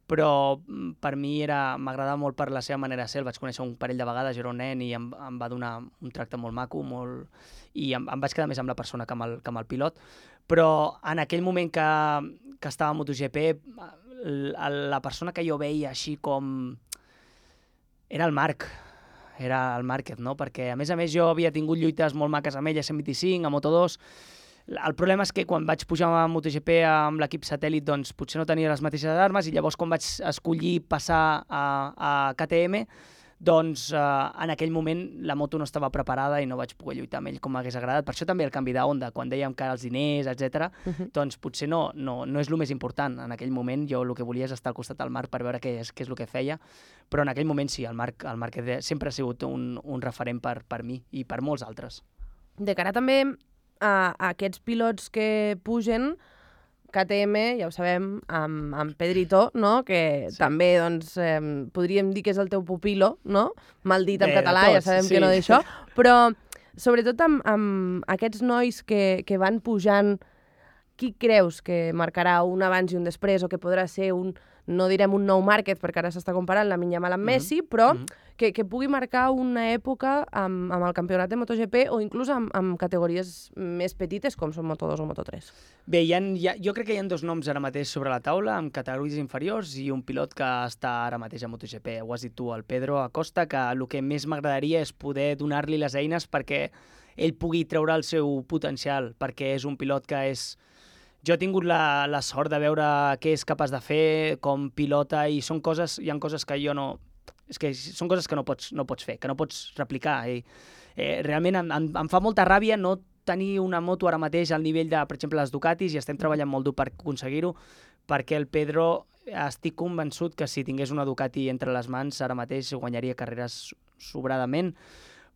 però per mi m'agradava molt per la seva manera de ser. El vaig conèixer un parell de vegades, jo era un nen, i em va donar un tracte molt maco, i em vaig quedar més amb la persona que amb el pilot. Però en aquell moment que estava a MotoGP, la persona que jo veia així com... era el Marc. Era el Márquez, no? Perquè, a més, jo havia tingut lluites molt maques amb ell a 125, a Moto2. El problema és que quan vaig pujar a MotoGP amb l'equip satèl·lit, doncs potser no tenia les mateixes armes, i llavors quan vaig escollir passar a KTM, doncs en aquell moment la moto no estava preparada i no vaig poder lluitar amb ell com m'hagués agradat. Per això també el canvi de Honda, quan dèiem que els diners, etc. Doncs potser no és el més important. En aquell moment jo el que volia és estar al costat del Marc per veure què és el que feia, però en aquell moment sí, el Marc sempre ha sigut un referent per mi i per molts altres. De cara també a aquests pilots que pugen, KTM, ja ho sabem, amb Pedrito, no? Que sí. També, doncs, podríem dir que és el teu pupilo, no? Mal dit en català, ja sabem que no d'això, però sobretot amb aquests nois que van pujant, qui creus que marcarà un abans i un després, o que podrà ser no direm un nou Márquez, perquè ara s'està comparant la Yamal amb Messi, però que pugui marcar una època amb el campionat de MotoGP o inclús amb categories més petites com són Moto2 o Moto3? Bé, jo crec que hi ha dos noms ara mateix sobre la taula, amb categories inferiors, i un pilot que està ara mateix a MotoGP. Ho has dit tu, el Pedro Acosta, que el que més m'agradaria és poder donar-li les eines perquè ell pugui treure el seu potencial, perquè és un pilot que és... Jo he tingut la sort de veure què és capaç de fer, com pilota, i hi ha coses que jo no... És que són coses que no pots fer, que no pots replicar. Realment em fa molta ràbia no tenir una moto ara mateix al nivell de, per exemple, les Ducatis, i estem treballant molt dur per aconseguir-ho, perquè el Pedro estic convençut que si tingués una Ducati entre les mans ara mateix guanyaria carreres sobradament,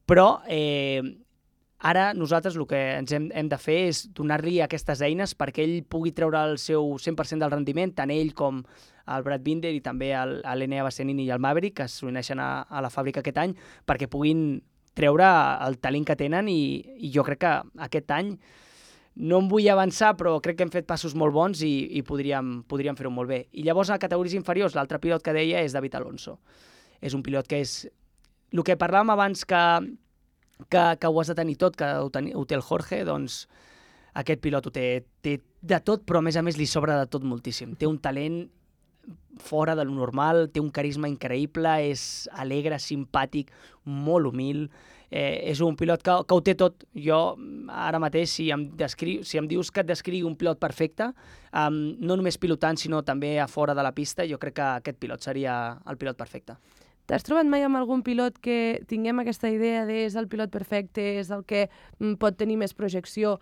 però ara nosaltres el que ens hem de fer és donar-li aquestes eines perquè ell pugui treure el seu 100% del rendiment, tant ell com el Brad Binder i també l'Enea Bastianini i el Maverick, que s'uneixen a la fàbrica aquest any, perquè puguin treure el talent que tenen, i jo crec que aquest any no em vull avançar, però crec que hem fet passos molt bons i podríem fer-ho molt bé. I llavors, a categories inferiors, l'altre pilot que deia és David Alonso. És un pilot que és... El que parlàvem abans que ho has de tenir tot, que ho té el Jorge, doncs aquest pilot ho té de tot, però a més li sobra de tot moltíssim. Té un talent fora de lo normal, té un carisma increïble, és alegre, simpàtic, molt humil, és un pilot que ho té tot. Jo, ara mateix, si em dius que et descrigui un pilot perfecte, no només pilotant, sinó també a fora de la pista, jo crec que aquest pilot seria el pilot perfecte. T'has trobat mai amb algun pilot que tinguem aquesta idea de és el pilot perfecte, és el que pot tenir més projecció,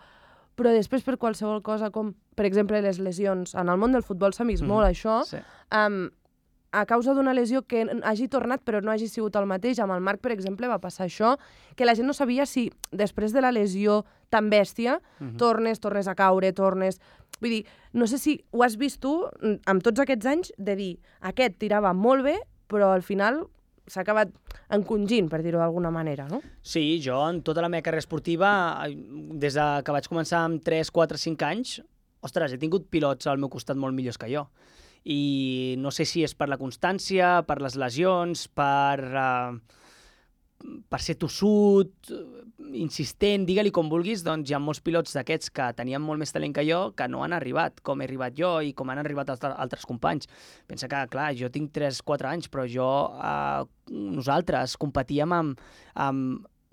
però després per qualsevol cosa, com per exemple les lesions, en el món del futbol s'ha vist molt això, sí. A causa d'una lesió que hagi tornat però no hagi sigut el mateix, amb el Marc, per exemple, va passar això, que la gent no sabia si després de la lesió tan bèstia tornes a caure, Vull dir, no sé si ho has vist tu, amb tots aquests anys, de dir, aquest tirava molt bé, però al final s'ha acabat encongint, per dir-ho d'alguna manera, no? Sí, jo en tota la meva carrera esportiva, des que vaig començar amb 3, 4, 5 anys, ostres, he tingut pilots al meu costat molt millors que jo. I no sé si és per la constància, per les lesions, per ser tossut, insistent, digue-li com vulguis, doncs hi ha molts pilots d'aquests que tenien molt més talent que jo que no han arribat, com he arribat jo i com han arribat altres companys. Pensa que, clar, jo tinc 3-4 anys, però nosaltres competíem amb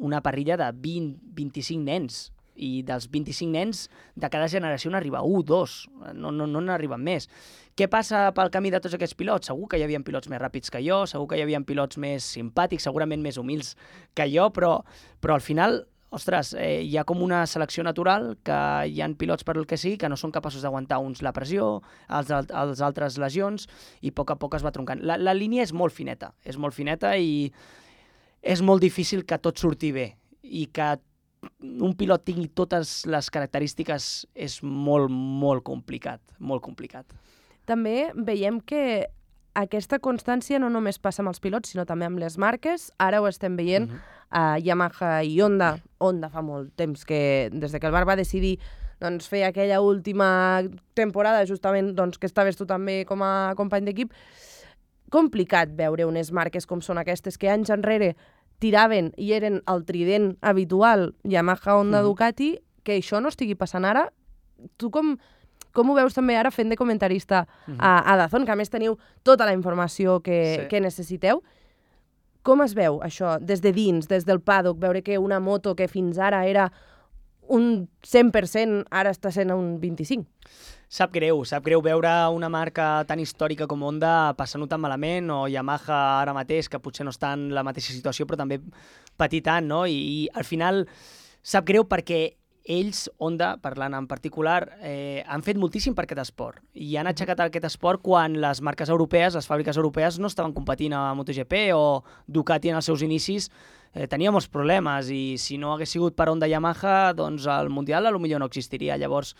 una parrilla de 20-25 nens, i dels 25 nens de cada generació n'arriba 1, 2, no n'arriben més. Què passa pel camí de tots aquests pilots? Segur que hi havia pilots més ràpids que jo, segur que hi havia pilots més simpàtics, segurament més humils que jo, però al final, ostres, hi ha com una selecció natural, que hi ha pilots per el que sigui que no són capaços d'aguantar uns la pressió, els altres lesions, i a poc es va troncant. La línia és molt fineta i és molt difícil que tot surti bé, i que un pilot tingui totes les característiques és molt, molt complicat, molt complicat. També veiem que aquesta constància no només passa amb els pilots, sinó també amb les marques. Ara ho estem veient a Yamaha i Honda. Honda fa molt temps que, des que el Marc va decidir fer aquella última temporada, justament que estaves tu també com a company d'equip, complicat veure unes marques com són aquestes, que anys enrere tiraven i eren el trident habitual, Yamaha, Honda, Ducati, que això no estigui passant ara. Tu com ho veus també ara fent de comentarista a DAZN, que a més teniu tota la informació que necessiteu? Com es veu això des de dins, des del paddock, veure que una moto que fins ara era un 100%, ara està sent un 25%? Sap greu veure una marca tan històrica com Honda passant-ho tan malament, o Yamaha ara mateix, que potser no està en la mateixa situació, però també patir tant, no? I al final sap greu perquè ells, Honda, parlant en particular, han fet moltíssim per aquest esport, i han aixecat aquest esport quan les marques europees, les fàbriques europees, no estaven competint a MotoGP, o Ducati en els seus inicis tenia molts problemes, i si no hagués sigut per Honda i Yamaha, doncs el Mundial potser no existiria. Llavors,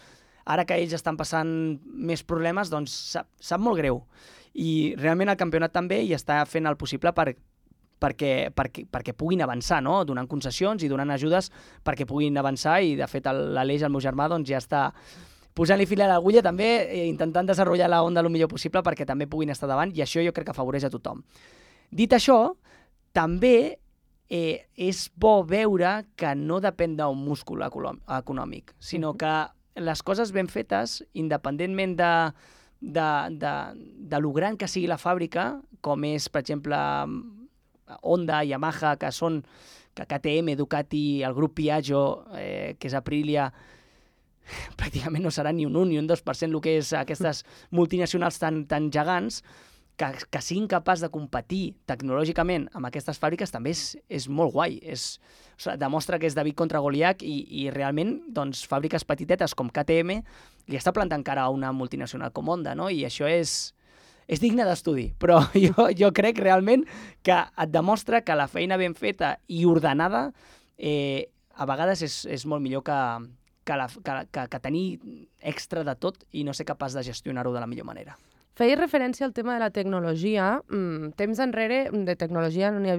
ara que ells estan passant més problemes, doncs sap molt greu. I realment el campionat també hi està fent el possible perquè puguin avançar, no? Donant concessions i donant ajudes perquè puguin avançar, i de fet l'Aleix, el meu germà, doncs ja està posant-li fil a l'agulla també, intentant desenvolupar la onda el millor possible perquè també puguin estar davant, i això jo crec que afavoreix a tothom. Dit això, també és bo veure que no depèn d'un múscul econòmic, sinó que les coses ben fetes, independentment de lo gran que sigui la fàbrica, com és, per exemple, Honda, Yamaha, que són KTM, Ducati, el grup Piaggio, que és Aprilia, pràcticament no serà ni un 1 ni un 2% el que és aquestes multinacionals tan gegants, que siguin capaços de competir tecnològicament amb aquestes fàbriques també és molt guai. Demostra que és David contra Goliat i realment doncs, fàbriques petitetes com KTM li està plantant cara a una multinacional com Honda, no? I això és digne d'estudi, però jo crec realment que et demostra que la feina ben feta i ordenada a vegades és molt millor que tenir extra de tot i no ser capaç de gestionar-ho de la millor manera. Feies referència al tema de la tecnologia. Temps enrere de tecnologia no hi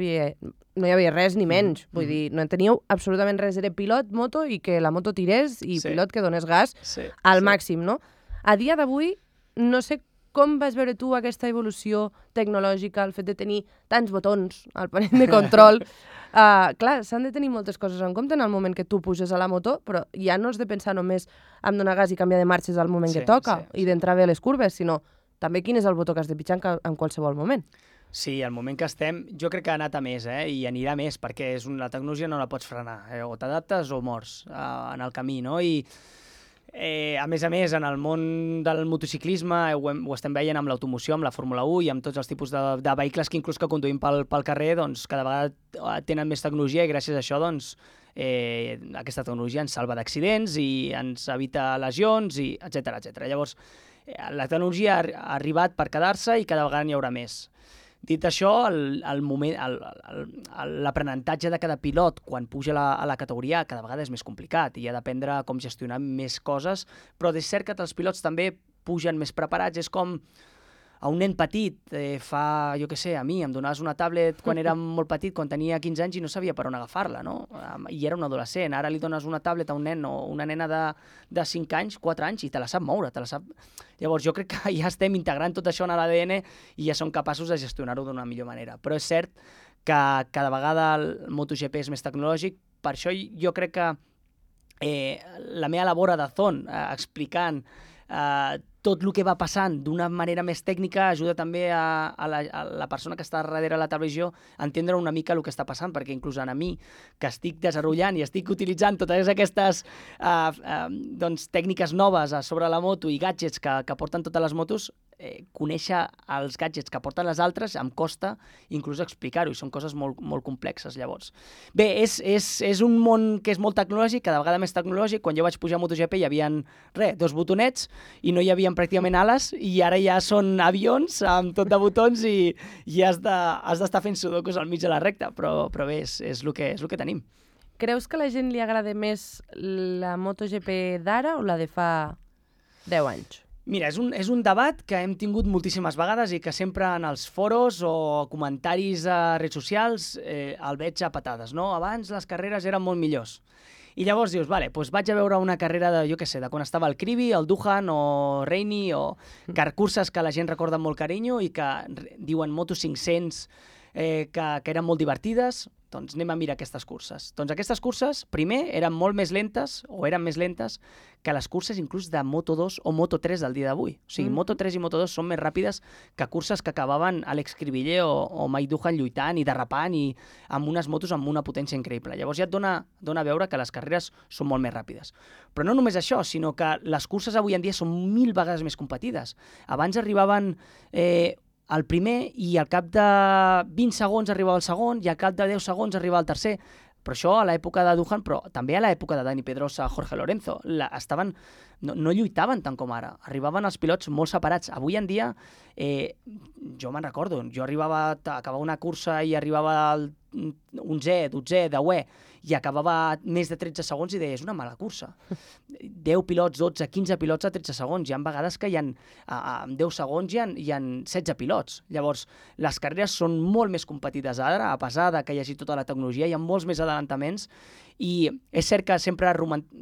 havia res ni menys. Vull dir, no en teníeu absolutament res. Era pilot, moto i que la moto tirés i pilot que donés gas al màxim, no? A dia d'avui, no sé com vas veure tu aquesta evolució tecnològica, el fet de tenir tants botons al panell de control. Clar, s'han de tenir moltes coses en compte en el moment que tu puges a la moto, però ja no has de pensar només en donar gas i canviar de marxes al moment que toca i d'entrar bé a les curves, sinó també quin és el botó que has de pitjar en qualsevol moment. Sí, el moment que estem, jo crec que ha anat a més, i anirà a més, perquè la tecnologia no la pots frenar, o t'adaptes o mors en el camí, no? I a més, en el món del motociclisme ho estem veient amb l'automoció, amb la Fórmula 1 i amb tots els tipus de vehicles que inclús que conduïm pel carrer, doncs cada vegada tenen més tecnologia i gràcies a això doncs aquesta tecnologia ens salva d'accidents i ens evita lesions, i etcètera, etcètera. Llavors, la tecnologia ha arribat per quedar-se i cada vegada n'hi haurà més. Dit això, l'aprenentatge de cada pilot quan puja a la categoria cada vegada és més complicat i ha d'aprendre com gestionar més coses, però és cert que els pilots també pugen més preparats. És com a un nen petit, jo què sé, a mi em donaves una tablet quan era molt petit, quan tenia 15 anys i no sabia per on agafar-la, no? I era un adolescent. Ara li dones una tablet a un nen o una nena de 5 anys, 4 anys, i te la sap moure, te la sap... Llavors, jo crec que ja estem integrant tot això en l'ADN i ja som capaços de gestionar-ho d'una millor manera. Però és cert que cada vegada el MotoGP és més tecnològic, per això jo crec que la meva labor a DAZN, explicant tot el que va passant d'una manera més tècnica, ajuda també a la persona que està darrere la televisió a entendre una mica el que està passant, perquè inclús a mi, que estic desenvolupant i estic utilitzant totes aquestes tècniques noves sobre la moto i gadgets que porten totes les motos, conèixer els gadgets que porten les altres em costa inclús explicar-ho, i són coses molt, molt complexes. Llavors, bé, és un món que és molt tecnològic, cada vegada més tecnològic. Quan jo vaig pujar a MotoGP hi havia 2 botonets i no hi havia pràcticament ales, i ara ja són avions amb tot de botons i has d'estar fent sudokus al mig de la recta, però bé, és el que tenim. Creus que a la gent li agrada més la MotoGP d'ara o la de fa 10 anys? Mira, és un debat que hem tingut moltíssimes vegades i que sempre en els foros o comentaris a redes socials el veig a patades, no? Abans les carreres eren molt millors. I llavors dius, vale, doncs vaig a veure una carrera de, jo què sé, de quan estava el Krivi, el Duhan o Reini, o curses que la gent recorda amb molt carinyo i que diuen Moto 500, que eren molt divertides. Doncs anem a mirar aquestes curses. Doncs aquestes curses, primer, eren molt més lentes, o eren més lentes, que les curses inclús de Moto2 o Moto3 del dia d'avui. O sigui, Moto3 i Moto2 són més ràpides que curses que acabaven Alex Cribiller o Mike Duhan lluitant i derrapant i amb unes motos amb una potència increïble. Llavors ja et dona a veure que les carreres són molt més ràpides. Però no només això, sinó que les curses avui en dia són 1000 vegades més competides. Abans arribaven el primer i al cap de 20 segons arribava el segon i al cap de 10 segons arribava el tercer. Però això a l'època de Duhan, però també a l'època de Dani Pedrosa, Jorge Lorenzo, no lluitaven tant com ara. Arribaven els pilots molt separats. Avui en dia, jo me'n recordo, jo acabava una cursa i arribava al 11è, 12è, 10è, i acabava més de 13 segons i deia, és una mala cursa. 10 pilots, 12, 15 pilots a 13 segons. Hi ha vegades que en 10 segons hi ha 16 pilots. Llavors, les carreres són molt més competides ara, a pesar de que hi hagi tota la tecnologia, hi ha molts més adelantaments, i és cert que sempre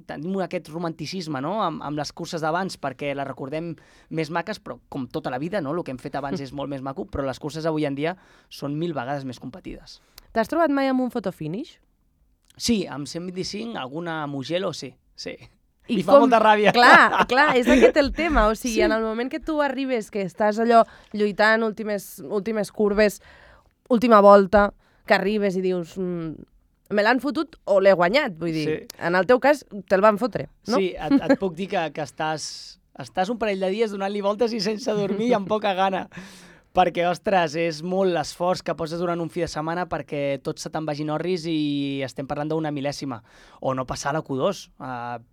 tenim aquest romanticisme, no?, amb les curses d'abans, perquè les recordem més maques, però com tota la vida, no?, el que hem fet abans és molt més maco, però les curses avui en dia són 1000 vegades més competides. T'has trobat mai amb un fotofinish? Sí, amb 125, alguna Mugello, sí. I fa molta ràbia. Clar, és aquest el tema. O sigui, en el moment que tu arribes, que estàs allò lluitant, últimes curves, última volta, que arribes i dius me l'han fotut o l'he guanyat. Vull dir, en el teu cas, te'l van fotre, no? Sí, et puc dir que estàs un parell de dies donant-li voltes i sense dormir i amb poca gana. Perquè, ostres, és molt l'esforç que poses durant un fi de setmana perquè tot se te'n vagin orris i estem parlant d'una mil·lèsima. O no passar a la Q2,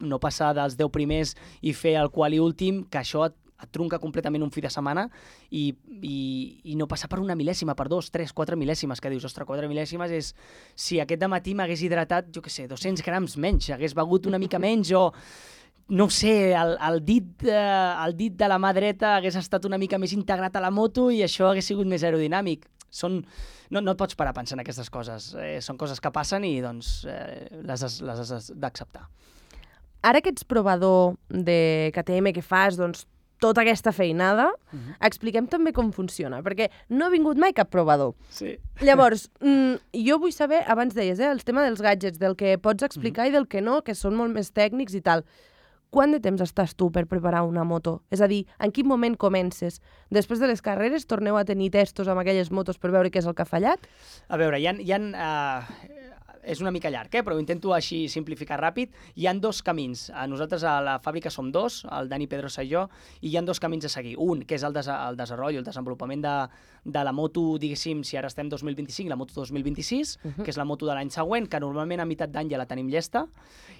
no passar dels 10 primers i fer el quali últim, que això et trunca completament un fi de setmana i no passar per una mil·lèsima, per 2, 3, 4 mil·lèsimes, que dius, ostres, 4 mil·lèsimes és... Si aquest dematí m'hagués hidratat, jo què sé, 200 grams menys, hagués begut una mica menys o... No ho sé, el dit de la mà dreta hagués estat una mica més integrat a la moto i això hagués sigut més aerodinàmic. No et pots parar a pensar en aquestes coses. Són coses que passen i doncs, les has d'acceptar. Ara que ets provador de KTM, que fas doncs, tota aquesta feinada, expliquem també com funciona, perquè no ha vingut mai cap provador. Sí. Llavors, jo vull saber, abans deies, el tema dels gadgets, del que pots explicar i del que no, que són molt més tècnics i tal. Quant de temps estàs tu per preparar una moto? És a dir, en quin moment comences? Després de les carreres torneu a tenir testos amb aquelles motos per veure què és el que ha fallat? A veure, és una mica llarg, però ho intento així simplificar ràpid. Hi ha 2 camins. Nosaltres a la fàbrica som 2, el Dani Pedrosa i jo, i hi ha 2 camins a seguir. Un, que és el desenvolupament de la moto, diguéssim, si ara estem 2025, la moto 2026, que és la moto de l'any següent, que normalment a meitat d'any ja la tenim llesta.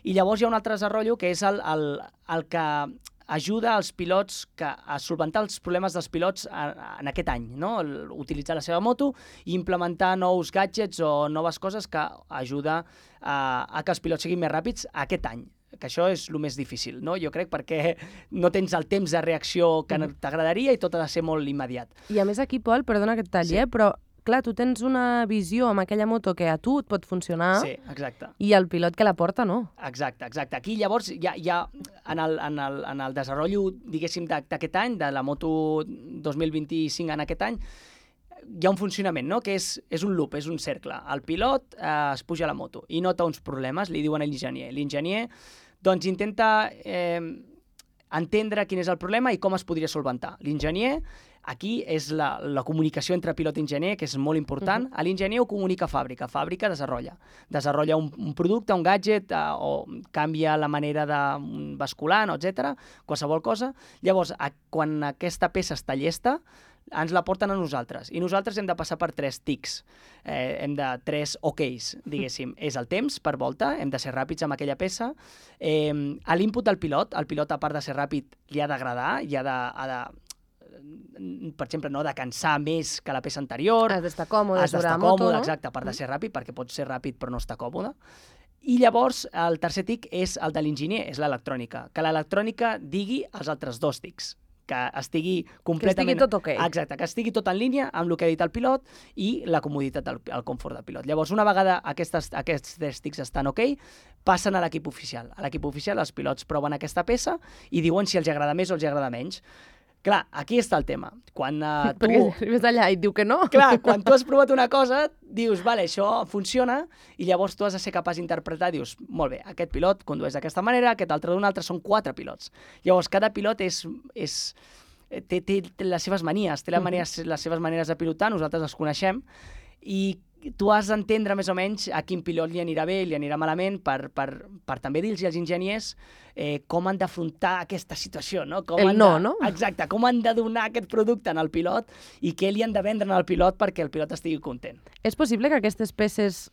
I llavors hi ha un altre desenvolupament, que és el que ajuda als pilots a solventar els problemes dels pilots en aquest any, no? Utilitzar la seva moto i implementar nous gadgets o noves coses que ajuda a que els pilots siguin més ràpids aquest any, que això és el més difícil, no? Jo crec, perquè no tens el temps de reacció que t'agradaria i tot ha de ser molt immediat. I a més aquí, Pol, perdona que et talli, però clar, tu tens una visió amb aquella moto que a tu et pot funcionar. Sí, exacte. I el pilot que la porta, no. Exacte. Aquí, llavors, hi ha en el desenvolupament, diguéssim, d'aquest any, de la moto 2025 en aquest any, hi ha un funcionament, no?, que és un loop, és un cercle. El pilot es puja a la moto i nota uns problemes, li diuen a l'enginyer. L'enginyer, doncs, intenta entendre quin és el problema i com es podria solventar. L'enginyer, aquí és la comunicació entre pilot i enginyer, que és molt important. L'enginyer ho comunica a fàbrica. Fàbrica desenvolupa un producte, un gadget, o canvia la manera d'un basculant, etc. Qualsevol cosa. Llavors, quan aquesta peça està llesta, ens la porten a nosaltres. I nosaltres hem de passar per 3 tics. Hem de 3 OKs, diguéssim. És el temps per volta, hem de ser ràpids amb aquella peça. A l'input del pilot, el pilot, a part de ser ràpid, li ha d'agradar, per exemple, no de cansar més que la peça anterior. Has d'estar còmode sobre la moto, no? Exacte, a part de ser ràpid, perquè pots ser ràpid però no estar còmode. I llavors, el tercer tic és el de l'enginyer, és l'electrònica. Que l'electrònica digui els altres 2 tics. Que estigui completament... Que estigui tot ok. Exacte, que estigui tot en línia amb el que ha dit el pilot i la comoditat, el confort del pilot. Llavors, una vegada aquests 3 tics estan ok, passen a l'equip oficial. A l'equip oficial els pilots proven aquesta peça i diuen si els agrada més o els agrada menys. Clar, aquí està el tema. Quan tu... Perquè arribes allà i et diu que no. Clar, quan tu has provat una cosa, dius, vale, això funciona, i llavors tu has de ser capaç d'interpretar, dius, molt bé, aquest pilot condueix d'aquesta manera, aquest altre d'una altra, són 4 pilots. Llavors, cada pilot té les seves manies, té les seves maneres de pilotar, nosaltres les coneixem, i tu has d'entendre més o menys a quin pilot li anirà bé, li anirà malament, per també dir-los als enginyers com han d'afrontar aquesta situació, no? No? Exacte, com han de donar aquest producte al pilot i què li han de vendre al pilot perquè el pilot estigui content. És possible que aquestes peces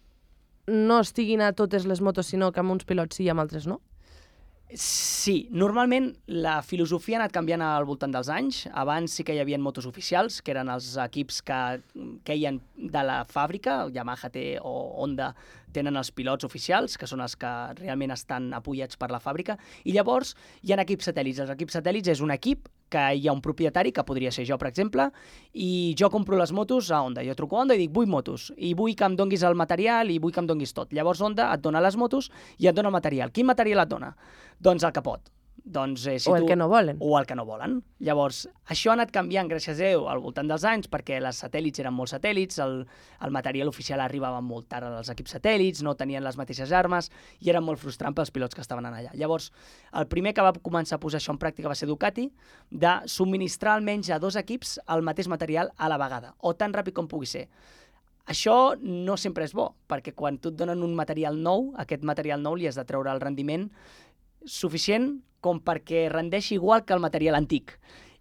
no estiguin a totes les motos, sinó que amb uns pilots sí i amb altres no? Sí, normalment la filosofia ha anat canviant al voltant dels anys. Abans sí que hi havia motos oficials, que eren els equips que queien de la fàbrica, Yamaha té o Honda tenen els pilots oficials, que són els que realment estan apoyats per la fàbrica, i llavors hi ha equips satèl·lits. Els equips satèl·lits és un equip que hi ha un propietari, que podria ser jo, per exemple, i jo compro les motos a Honda. Jo truco a Honda i dic, vull motos, i vull que em donguis el material i vull que em donguis tot. Llavors Honda et dona les motos i et dona el material. Quin material et dona? Doncs el capot. Doncs, o el que no volen. O el que no volen. Llavors, això ha anat canviant, gràcies a Déu, al voltant dels anys, perquè les satèl·lits eren molt satèl·lits, el material oficial arribava molt tard als equips satèl·lits, no tenien les mateixes armes, i era molt frustrant pels pilots que estaven allà. Llavors, el primer que va començar a posar això en pràctica va ser Ducati, de subministrar almenys a 2 equips el mateix material a la vegada, o tan ràpid com pugui ser. Això no sempre és bo, perquè quan tu et donen un material nou, aquest material nou li has de treure el rendiment suficient com perquè rendeixi igual que el material antic.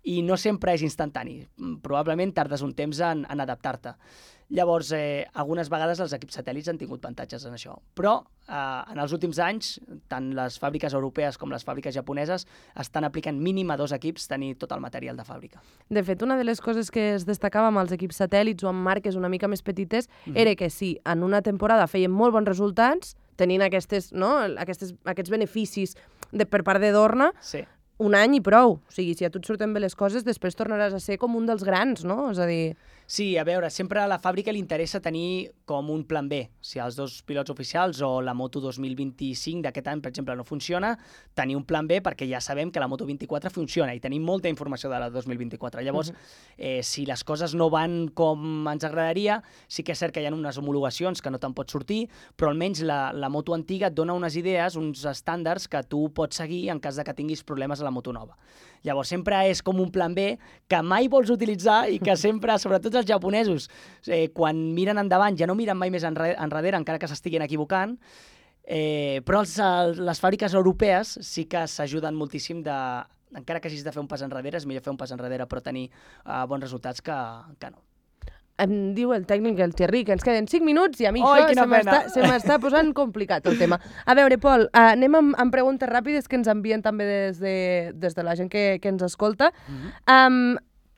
I no sempre és instantani. Probablement tardes un temps en adaptar-te. Llavors, algunes vegades els equips satèl·lits han tingut avantatges en això. Però en els últims anys, tant les fàbriques europees com les fàbriques japoneses estan aplicant mínim a 2 equips tenir tot el material de fàbrica. De fet, una de les coses que es destacava amb els equips satèl·lits o amb marques una mica més petites era que si en una temporada feien molt bons resultats, tenint aquests beneficis per part de Dorna, sí, un any i prou. O sigui, si a tu et surten bé les coses, després tornaràs a ser com un dels grans, no? És a dir... Sí, a veure, sempre a la fàbrica li interessa tenir com un plan B. Si els 2 pilots oficials o la moto 2025 d'aquest any, per exemple, no funciona, tenir un plan B perquè ja sabem que la moto 24 funciona i tenim molta informació de la 2024. Llavors, si les coses no van com ens agradaria, sí que és cert que hi ha unes homologacions que no te'n pots sortir, però almenys la moto antiga et dona unes idees, uns estàndards que tu pots seguir en cas de que tinguis problemes a la moto nova. Llavors, sempre és com un plan B que mai vols utilitzar i que sempre, sobretot els japonesos, quan miren endavant ja no miren mai més enrere, encara que s'estiguin equivocant, però les fàbriques europees sí que s'ajuden moltíssim encara que hagis de fer un pas enrere, és millor fer un pas enrere però tenir bons resultats que no. Em diu el tècnic, el Thierry, que ens queden 5 minuts i a mi se m'està posant complicat el tema. A veure, Pol, anem amb preguntes ràpides que ens envien també des de la gent que ens escolta.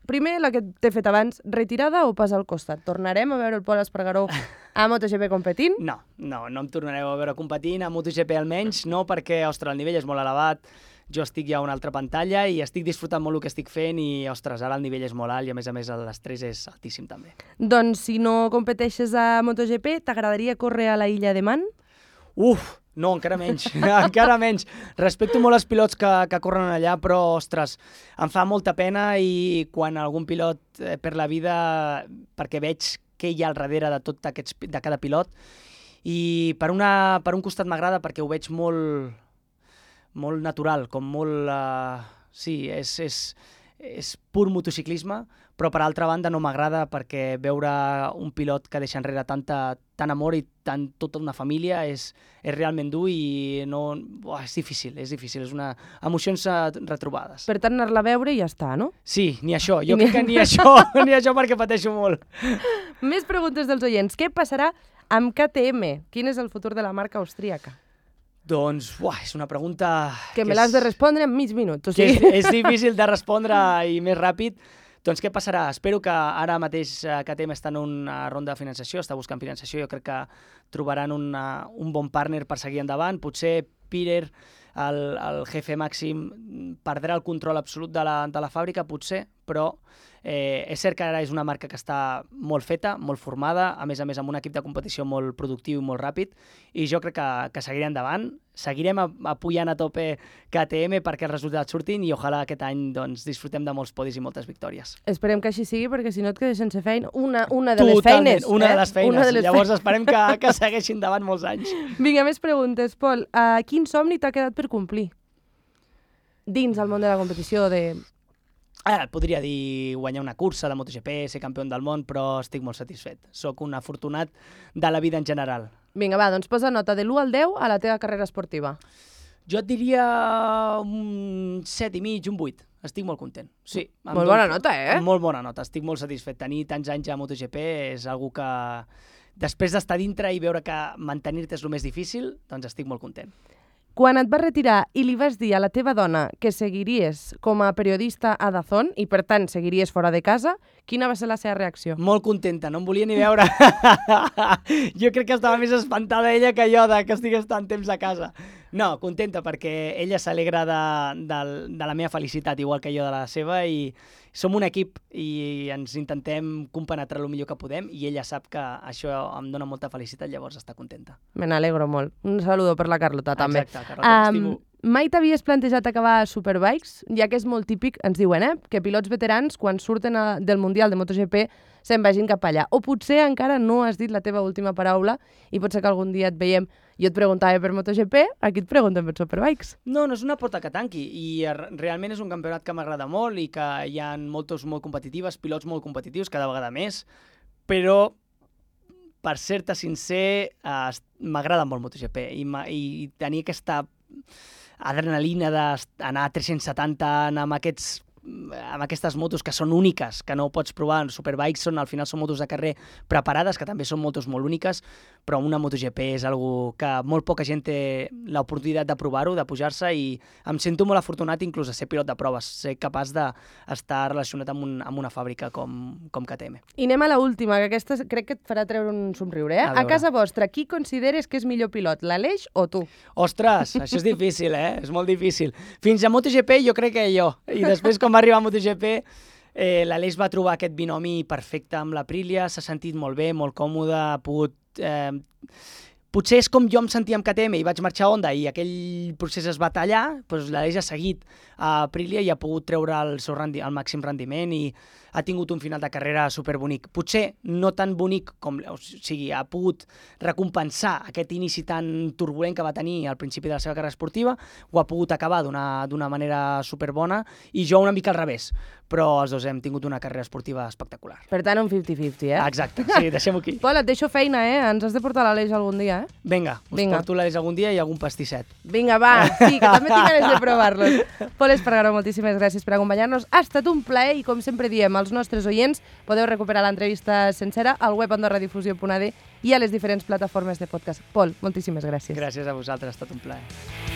Primer, la que t'he fet abans, retirada o pas al costat? Tornarem a veure el Pol Espargaró a MotoGP competint? No em tornareu a veure competint, a MotoGP almenys, no, perquè, ostres, el nivell és molt elevat, jo estic ja a una altra pantalla i estic disfrutant molt el que estic fent i, ostres, ara el nivell és molt alt i, a més, l'estrès és altíssim també. Doncs, si no competeixes a MotoGP, t'agradaria córrer a la Illa de Man? No, encara menys, encara menys. Respecto molt els pilots que corren allà, però, ostres, em fa molta pena i quan algun pilot perd la vida, perquè veig què hi ha al darrere de cada pilot, i per un costat m'agrada perquè ho veig molt natural, com molt... Sí, és pur motociclisme, però per altra banda no m'agrada perquè veure un pilot que deixa enrere tant amor i tota una família és realment dur i no... és difícil, és emocions retrobades. Per tant, anar-la a veure i ja està, no? Sí, ni això, jo crec que ni això perquè pateixo molt. Més preguntes dels oients. Què passarà amb KTM? Quin és el futur de la marca austríaca? Doncs, és una pregunta... Que me l'has de respondre en mig minut. O sigui... És difícil de respondre i més ràpid. Doncs què passarà? Espero que ara mateix KTM està en una ronda de financiació, està buscant financiació, jo crec que trobaran un bon partner per seguir endavant. Potser Pirer, el jefe màxim, perdrà el control absolut de la fàbrica, potser, però és cert que ara és una marca que està molt feta, molt formada, a més amb un equip de competició molt productiu i molt ràpid, i jo crec que seguiré endavant, seguirem apujant a tope KTM perquè els resultats surtin i ojalà aquest any doncs, disfrutem de molts podis i moltes victòries. Esperem que així sigui perquè si no et quedes sense feina. Una de les feines. Una de les feines. Llavors esperem que segueixin davant molts anys. Vinga, més preguntes. Pol, quin somni t'ha quedat per complir? Dins el món de la competició de... Podria dir guanyar una cursa de MotoGP, ser campió del món, però estic molt satisfet. Soc un afortunat de la vida en general. Vinga, va, doncs posa nota de l'1 al 10 a la teva carrera esportiva. Jo et diria un 7,5, un 8. Estic molt content. Sí, molt bona nota, Molt bona nota, estic molt satisfet. Tenir tants anys a MotoGP és algo que, després d'estar dintre i veure que mantenir-te és el més difícil, doncs estic molt content. Quan et vas retirar i li vas dir a la teva dona que seguiries com a periodista a DAZN i, per tant, seguiries fora de casa, quina va ser la seva reacció? Molt contenta, no em volia ni veure. Jo crec que estava més espantada ella que jo de que estigués tant temps a casa. No, contenta perquè ella s'alegra de la meva felicitat, igual que jo de la seva, i som un equip i ens intentem compenetrar el millor que podem i ella sap que això em dona molta felicitat, llavors està contenta. Me n'alegro molt. Un saludo per la Carlota, també. Exacte, Carlota, t'estimo. Mai t'havies plantejat acabar a Superbikes? Ja que és molt típic, ens diuen, que pilots veterans, quan surten del Mundial de MotoGP, se'n vagin cap allà. O potser encara no has dit la teva última paraula i pot ser que algun dia et veiem. Jo et preguntava per MotoGP, aquí et pregunten per Superbikes. No, no és una porta que tanqui i realment és un campionat que m'agrada molt i que hi ha motos molt competitives, pilots molt competitius, cada vegada més, però per ser-te sincer, m'agrada molt MotoGP i tenir aquesta adrenalina d'anar a 370 amb aquestes motos que són úniques, que no pots provar. Superbikes al final són motos de carrer preparades, que també són motos molt úniques, però una MotoGP és algo que molt poca gent té l'oportunitat de provar-ho, de pujar-se, i em sento molt afortunat inclús de ser pilot de proves, ser capaç d'estar relacionat amb una fàbrica com KTM. I anem a l'última, que aquesta crec que et farà treure un somriure. A casa vostra, qui consideres que és millor pilot, l'Aleix o tu? Ostres, això és difícil, és molt difícil. Fins a MotoGP jo crec que jo, i després quan va arribar a MotoGP l'Aleix va trobar aquest binomi perfecte amb l'Aprilia, s'ha sentit molt bé, molt còmode, ha pogut... Potser és com jo em sentia amb KTM i vaig marxar a Honda i aquell procés es va tallar, doncs l'Aleix ha seguit a Aprilia i ha pogut treure el màxim rendiment i ha tingut un final de carrera superbonic. Potser no tan bonic com... O sigui, ha pogut recompensar aquest inici tan turbulent que va tenir al principi de la seva carrera esportiva, ho ha pogut acabar d'una manera superbona i jo una mica al revés, però els dos hem tingut una carrera esportiva espectacular. Per tant, un 50-50, Exacte, sí, deixem-ho aquí. Pol, et deixo feina, Ens has de portar l'Aleix algun dia, Vinga, porto l'Aleix algun dia i algun pastisset. Vinga, va, sí, que també tinc ganes de provar-los. Pol Espargaró, moltíssimes gràcies per acompanyar-nos. Ha estat un plaer i, com sempre diem, als nostres oients podeu recuperar l'entrevista sencera al web andorradifusió.ad i a les diferents plataformes de podcast. Pol, moltíssimes gràcies. Gràcies a vosaltres, ha estat un plaer.